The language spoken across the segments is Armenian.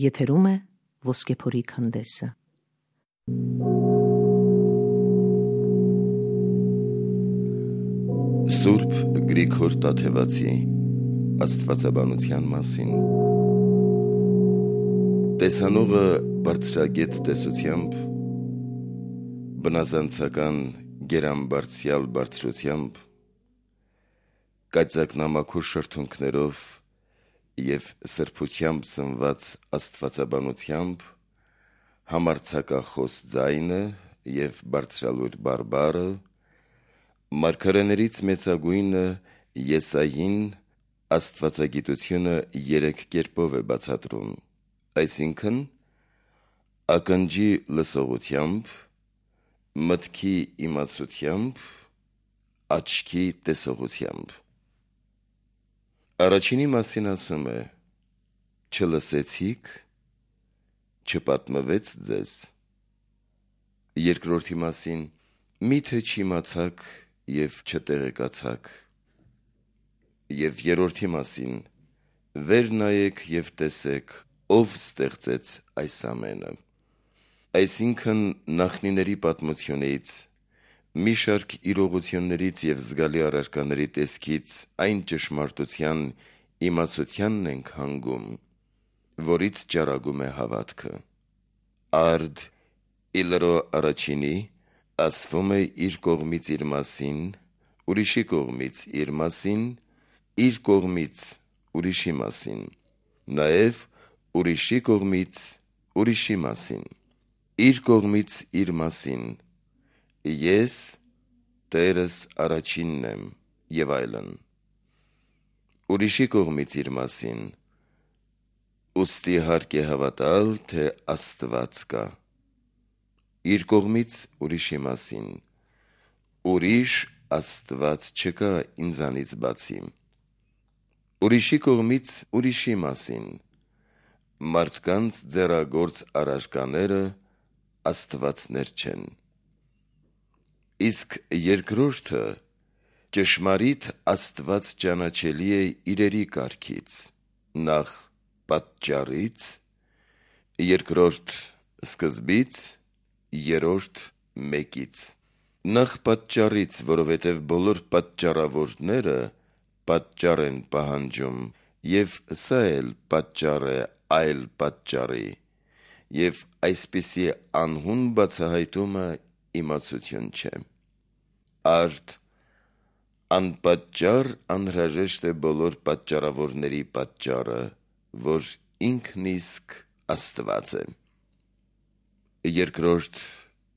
Եթերում է Ոսկեփորի քանդեսը։ Սուրբ Գրիգոր Տաթևացի աստվածաբանության մասին։ Տեսանողը բարձրագետ տեսությամբ, բնազանցական գերամբարձյալ բարձրությամբ, կայծակնամաքուր շրթունքներով և սրբությամբ սնված աստվածաբանությամբ, համարձակախոս ձայնը և բարձրալույր բարբառը, մարգարեներից մեծագույնը Եսային աստվածագիտությունը 3 կերպով է բացատրում, այսինքն ակնջի լսողությամբ, մտքի իմացությամբ, աչքի տեսողությամբ։ Առաջինի մասին ասում է. չլսեցիք, չպատմվեց ձեզ։ Երկրորդի մասին միթե չիմացաք և չտեղեկացաք։ Եվ երրորդի մասին վեր նայեք և տեսեք, ով ստեղծեց այս ամենը։ Այսինքն նախնիների պատմությունից, մի շարք իրողություններից և զգալի առարկաների տեսքից այն ճշմարտության իմացությանն ենք հանգում, որից ճառագում է հավատքը։ Արդ իլրո առաջինի ասվում է իր կողմից իր մասին, ուրիշի կողմից իր մասին, իր կողմից ուրիշի մասին, նաև ուրիշի կողմից ուրիշի մասին, իր կողմից իր մասին, ես Տերս առաջինն եմ և այլն, ուրիշի կողմից իր մասին, ուստի հարկ է հավատալ, թե Աստված կա, իր կողմից ուրիշի մասին, ուրիշ Աստված չկա ինձանից բացի, ուրիշի կողմից ուրիշի մասին, մարդկանց ձեռագործ առարկաները աստվածներ չեն։ Իսկ երկրորդը ճշմարիտ Աստված ճանաչելի է իրերի կարգից, նախ պատճառից, երկրորդ սկզբից, երրորդ մեկից։ Նախ պատճառից, որովհետև բոլոր պատճառավորները պատճառ են պահանջում, և սա էլ պատճառ է այլ պատճառի, և այսպիսի անհուն բացահայտումը իմացություն չէ։ Արդ անպատճառ անհրաժեշտ է բոլոր պատճառավորների պատճառը, որ ինքն իսկ Աստված է։ Երկրորդ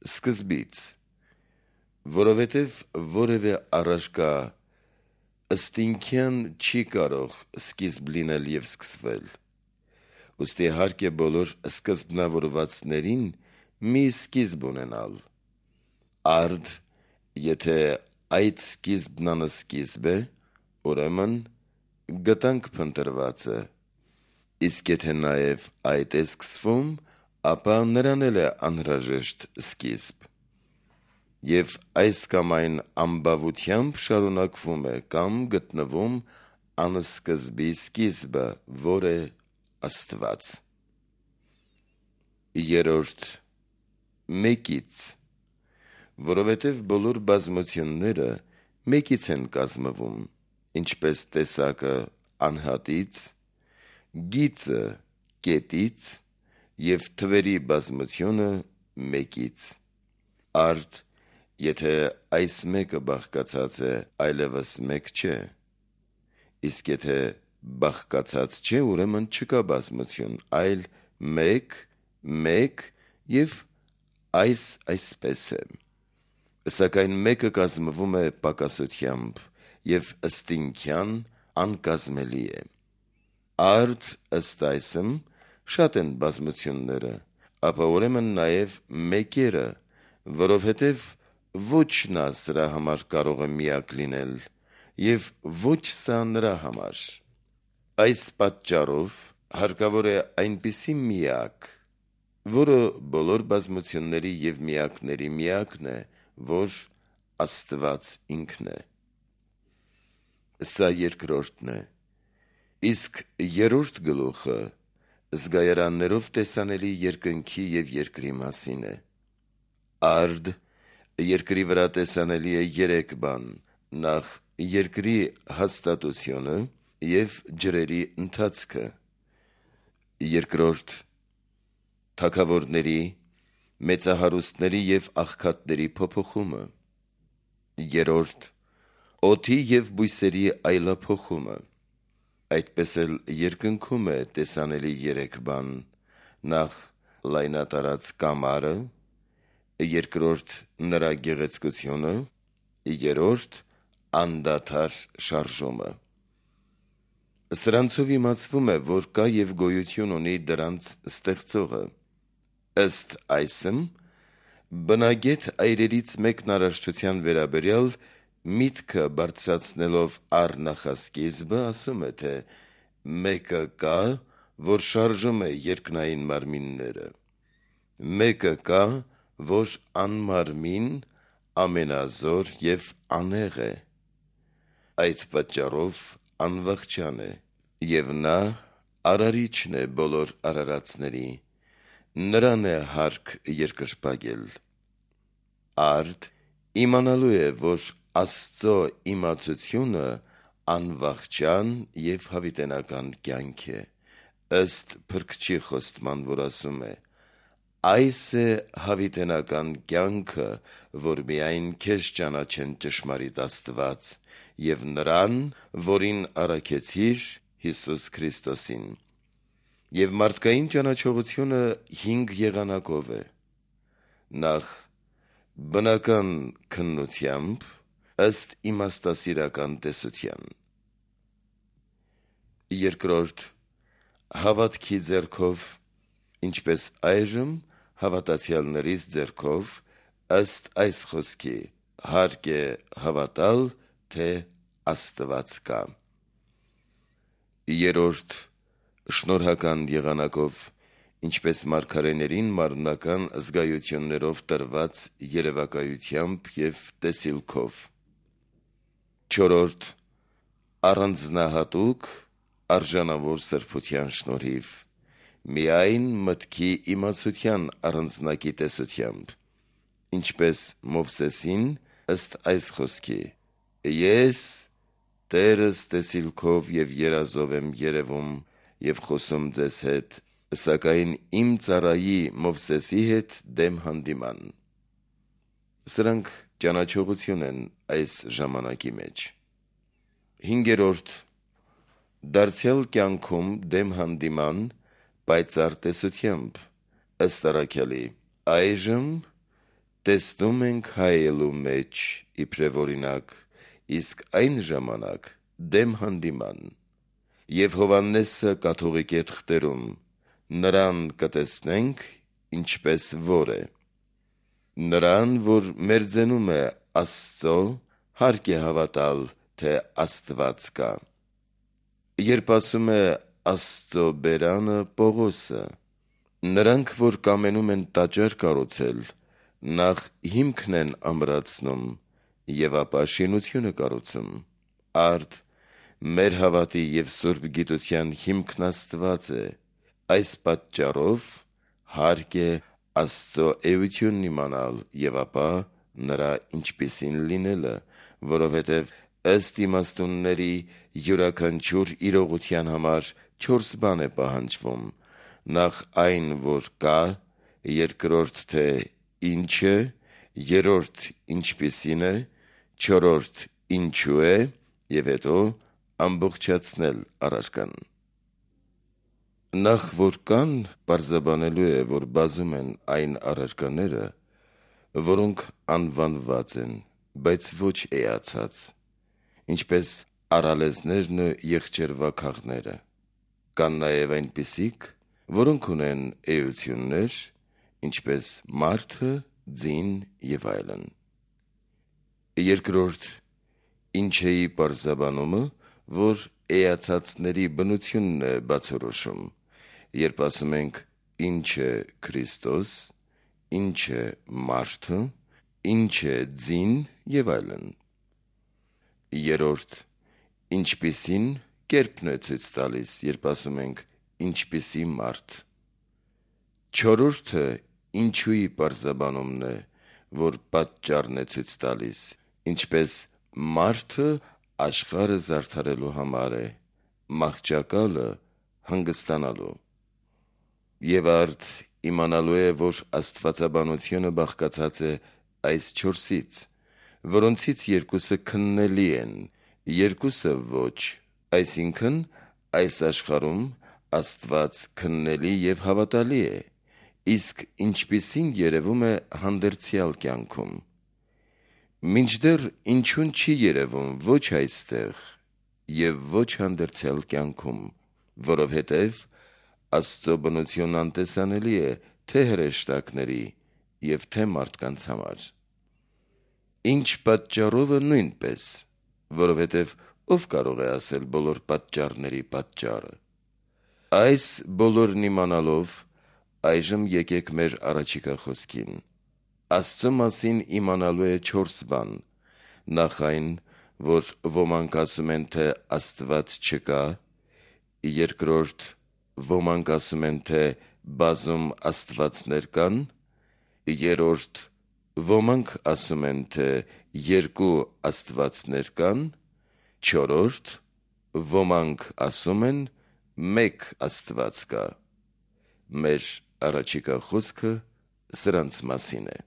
սկզբից, որովհետև որևէ առարկա ըստինքյան չի կարող սկիզբ լինել և սկսվել, ուստի հարկ է բոլոր սկզբնավորվածներին մի սկիզբ ունենալ։ Արդ եթե այդ սկիզբն անսկիզբ է, ուրեմն գտանք փնտրվածը, իսկ եթե նաև այդ է սկսվում, ապա նրան էլ է անհրաժեշտ սկիզբ։ Եվ այս կամ այն ամբավությամբ շարունակվում է կամ գտնվում անսկզբի սկիզբը, որ է Աստված։ Երրորդ մեկից, որովհետև բոլոր բազմությունները մեկից են կազմվում, ինչպես տեսակը անհատից, գիծը կետից և թվերի բազմությունը մեկից։ Արդ եթե այս մեկը բաղկացած է, այլևս մեկ չէ, իսկ եթե բաղկացած չէ, ուրեմն չկա բազմություն, այլ մեկ և այսպես է։ Սակայն մեկը կազմվում է պակասությամբ և ըստինքյան անկազմելի է։ Արդ ըստ այսմ շատ են բազմությունները, ապա ուրեմն նաև մեկերը, որովհետև ոչ նա սրա համար կարող է միակ լինել և ոչ սա նրա համար։ Այս պատճառով հարկավոր է այնպիսի միակ, որը բոլոր բազմությունների և միակների միակն է, որ Աստված ինքն է։ Սա երկրորդն է, իսկ երրորդ գլուխը զգայարաններով տեսանելի երկնքի և երկրի մասին է։ Արդ երկրի վրա տեսանելի է 3 բան. նախ երկրի հաստատությունը և ջրերի ընթացքը, երկրորդ թագավորների, մեծահարուստների և աղքատների փոփոխումը, երրորդ օդի և բույսերի այլափոխումը։ Այդպես էլ երկնքում է տեսանելի 3 բան. նախ լայնատարած կամարը, երկրորդ նրա գեղեցկությունը, երրորդ անդադար շարժումը։ Սրանցով իմացվում է, որ կա և գոյություն ունի դրանց ստեղծողը։ Ըստ այսմ, բնագետ այրերից մեկն արարչության վերաբերյալ միտքը բարձրացնելով առ նախասկիզբը ասում է, թե մեկը կա, որ շարժում է երկնային մարմինները, մեկը կա, որ անմարմին, ամենազոր և անհեղ է, այդ պատճառով անվախճան է, և նա արարիչն է բոլոր արարածների, նրան է հարկ երկրպագել։ Արդ իմանալու է, որ Աստծո իմացությունը անվախճան և հավիտենական կյանք է, ըստ Փրկչի խոստման, որ ասում է. «Այս է հավիտենական կյանքը, որ միայն քեզ ճանաչեն ճշմարիտ Աստված և նրան, որին առաքեցիր, Հիսուս Քրիստոսին»։ Եվ մարդկային ճանաչողությունը 5 եղանակով է. նախ բնական քննությամբ, ըստ իմաստասիրական տեսության, երկրորդ հավատքի ձեռքով, ինչպես այժմ հավատացյալներիս ձեռքով, ըստ այս խոսքի. հարկ է հավատալ, թե Աստված կա, երրորդ շնորհական եղանակով, ինչպես մարգարեներին մարմնական զգայություններով տրված երևակայությամբ և տեսիլքով, չորրորդ առանձնահատուկ արժանավոր սրբության շնորհիվ, միայն մտքի իմացության առանձնակի տեսությամբ, ինչպես Մովսեսին, ըստ այս խոսքի. «Ես Տերս տեսիլքով և երազով եմ երևում և խոսում ձեզ հետ, սակայն իմ ծառայի Մովսեսի հետ դեմ հանդիման»։ Սրանք ճանաչողություն են այս ժամանակի մեջ։ Հինգերորդ դարձյալ կյանքում դեմ հանդիման պայծառ տեսությամբ, ըստ առաքյալի. այժմ տեսնում ենք հայելու մեջ իբրև օրինակ, իսկ այն ժամանակ դեմ հանդիման։ Եվ Հովհաննեսը կաթողիկ է թղթերում. նրան կտեսնենք, ինչպես որ է։ Նրան, որ մերձենում է Աստծո, հարկ է հավատալ, թե Աստված կա։ Երբ ասում է Աստծո բերանը Պողոսը, նրանք, որ կամենում են տաճար կառուցել, նախ հիմքն են ամրացնում և ապա շինությունը կառուցում։ Արդ մեր հավատի և սուրբ գիտության հիմքն Աստված է, այս պատճառով հարկ է Աստծո էությունն իմանալ և ապա նրա ինչպիսին լինելը, որովհետև ըստ իմաստունների յուրաքանչյուր իրողության համար 4 բան է պահանջվում. նախ այն, որ կա, երկրորդ, թե ինչ է, երրորդ, ինչպիսին է, չորրորդ, ինչու է, և հետո ամբողջացնել առարկան։ Նախ որ կան, պարզաբանելու է, որ բազում են այն առարկաները, որոնք անվանված են, բայց ոչ էացած, ինչպես առալեզներն ու եղջերվաքաղները։ Կան նաև այնպիսիք, որոնք ունեն էություններ, ինչպես մարդը, ձին և այլն։ Երկրորդ ինչեի պարզաբանումը, որ էացածների բնությունն է բացորոշում, երբ ասում ենք ինչ է Քրիստոս, ինչ է մարդը, ինչ է ձին և այլն։ Երրորդ ինչպիսին կերպն է ցույց տալիս, երբ ասում ենք ինչպիսի մարդ։ Չորրորդը ինչուի պարզաբանումն է, որ պատճառն է ցույց տալիս, ինչպես մարդը աշխարհը զարդարելու համար է, մահճակալը հանգստանալու։ Եվ արդ իմանալու է, որ աստվածաբանությունը բաղկացած է այս չորսից, որոնցից երկուսը քննելի են, երկուսը ոչ, այսինքն այս աշխարհում Աստված քննելի և հավատալի է, իսկ ինչպիսին երևում է հանդերձյալ կյանքում։ Մինչդեռ ինչուն չի երևում ոչ այստեղ և ոչ հանդերձյալ կյանքում, որովհետև Աստծո բնությունն անտեսանելի է թե հրեշտակների և թե մարդկանց համար։ Ինչ պատճառովը նույնպես, որովհետև ով կարող է ասել բոլոր պատճառների պատճառը։ Այս բոլորն իմանալով, այժմ եկեք մեր առաջիկա խոսքին։ Աստծո մասին իմանալու է չորս բան. նախ այն, որ ոմանք ասում են, թե Աստված չկա, երկրորդ, ոմանք ասում են, թե բազում աստվածներ կան, երրորդ, ոմանք ասում են, թե երկու աստվածներ կան, չորրորդ, ոմանք ասում են, մեկ Աստված կա։ Մեր առաջիկա խոսքը սրանց մասին է։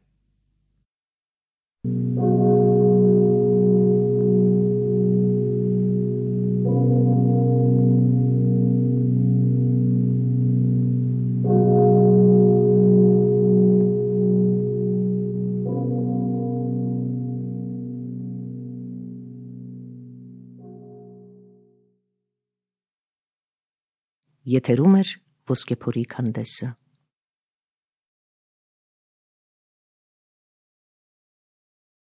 Եթերում է Ոսկեփորի քանդեսը։